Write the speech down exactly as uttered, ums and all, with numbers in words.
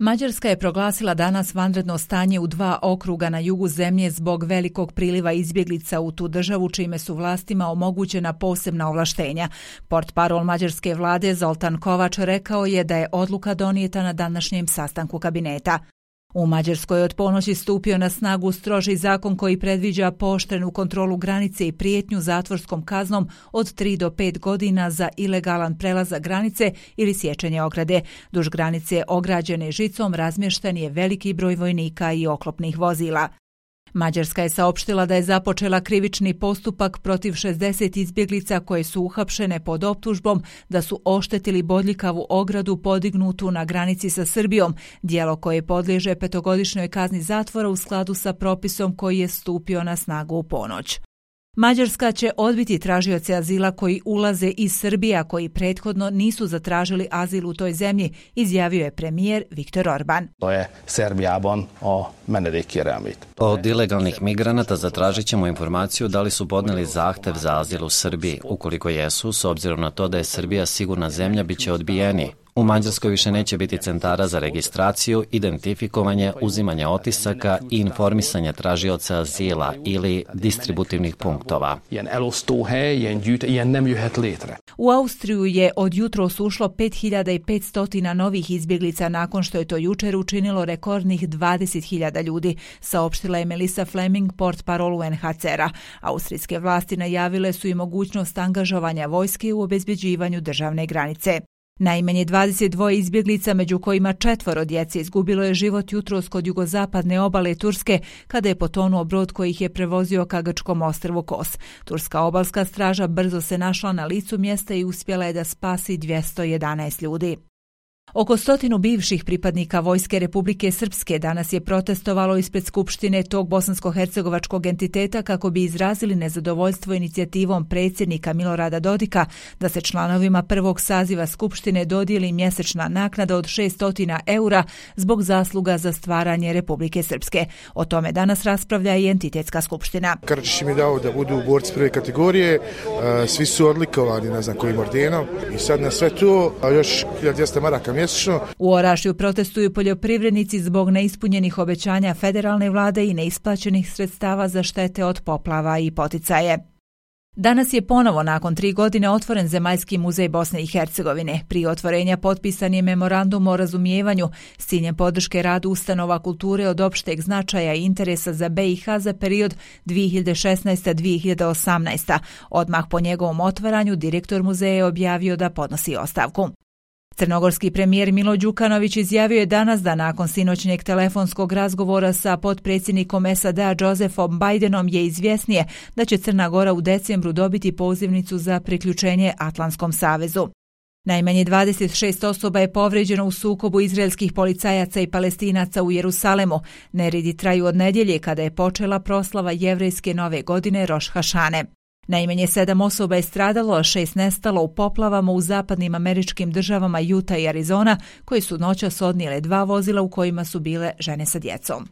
Mađarska je proglasila danas vanredno stanje u dva okruga na jugu zemlje zbog velikog priliva izbjeglica u tu državu, čime su vlastima omogućena posebna ovlaštenja. Portparol mađarske vlade Zoltan Kovač rekao je da je odluka donijeta na današnjem sastanku kabineta. U Mađarskoj je od ponoći stupio na snagu stroži zakon koji predviđa pooštrenu kontrolu granice i prijetnju zatvorskom kaznom od tri do pet godina za ilegalan prelazak granice ili sječenje ograde. Duž granice ograđene žicom razmješten je veliki broj vojnika i oklopnih vozila. Mađarska je saopštila da je započela krivični postupak protiv šezdeset izbjeglica koje su uhapšene pod optužbom da su oštetili bodljikavu ogradu podignutu na granici sa Srbijom, djelo koje podliježe petogodišnjoj kazni zatvora u skladu sa propisom koji je stupio na snagu u ponoć. Mađarska će odbiti tražioce azila koji ulaze iz Srbije, a koji prethodno nisu zatražili azil u toj zemlji, izjavio je premijer Viktor Orban. To je Serbijabon o menedikjeremit. Od ilegalnih migranata zatražit ćemo informaciju da li su podneli zahtev za azil u Srbiji. Ukoliko jesu, s obzirom na to da je Srbija sigurna zemlja, bit će odbijeni. U Mađarskoj više neće biti centara za registraciju, identifikovanje, uzimanje otisaka i informisanje tražioca azila ili distributivnih punktova. U Austriju je od jutros ušlo pet hiljada petsto novih izbjeglica nakon što je to jučer učinilo rekordnih dvadeset hiljada ljudi, saopštila je Melissa Fleming, portparol U N H C R-a. Austrijske vlasti najavile su i mogućnost angažovanja vojske u obezbeđivanju državne granice. Najmanje dvadeset dva izbjeglica, među kojima četvoro djece, izgubilo je život jutros kod jugozapadne obale Turske kada je potonuo brod koji ih je prevozio ka grčkom ostrvu Kos. Turska obalska straža brzo se našla na licu mjesta i uspjela je da spasi dvjesto jedanaest ljudi. Oko stotinu bivših pripadnika Vojske Republike Srpske danas je protestovalo ispred Skupštine tog bosansko-hercegovačkog entiteta kako bi izrazili nezadovoljstvo inicijativom predsjednika Milorada Dodika da se članovima prvog saziva Skupštine dodijeli mjesečna naknada od šesto eura zbog zasluga za stvaranje Republike Srpske. O tome danas raspravlja i entitetska skupština. Karadžić mi dao da budu borci prve kategorije, svi su odlikovani ne znam kojim ordenom i sad na sve to još hiljadu dvjesto maraka mjesečno. U Orašju protestuju poljoprivrednici zbog neispunjenih obećanja federalne vlade i neisplaćenih sredstava za štete od poplava i poticaje. Danas je ponovo nakon tri godine otvoren Zemaljski muzej Bosne i Hercegovine. Prije otvorenja potpisan je memorandum o razumijevanju s ciljem podrške radu ustanova kulture od opšteg značaja i interesa za B i H za period dvije hiljade šesnaeste do dvije hiljade osamnaeste. Odmah po njegovom otvaranju direktor muzeja je objavio da podnosi ostavku. Crnogorski premijer Milo Đukanović izjavio je danas da nakon sinoćnjeg telefonskog razgovora sa potpredsjednikom S A D-a Josephom Bidenom je izvjesnije da će Crna Gora u decembru dobiti pozivnicu za priključenje Atlantskom savezu. Najmanje dvadeset šest osoba je povrijeđeno u sukobu izraelskih policajaca i Palestinaca u Jerusalemu. Neredi traju od nedjelje kada je počela proslava jevrejske nove godine Roš Hašane. Najmanje sedam osoba je stradalo, a šest nestalo u poplavama u zapadnim američkim državama Utah i Arizona, koji su noćas odnijele dva vozila u kojima su bile žene sa djecom.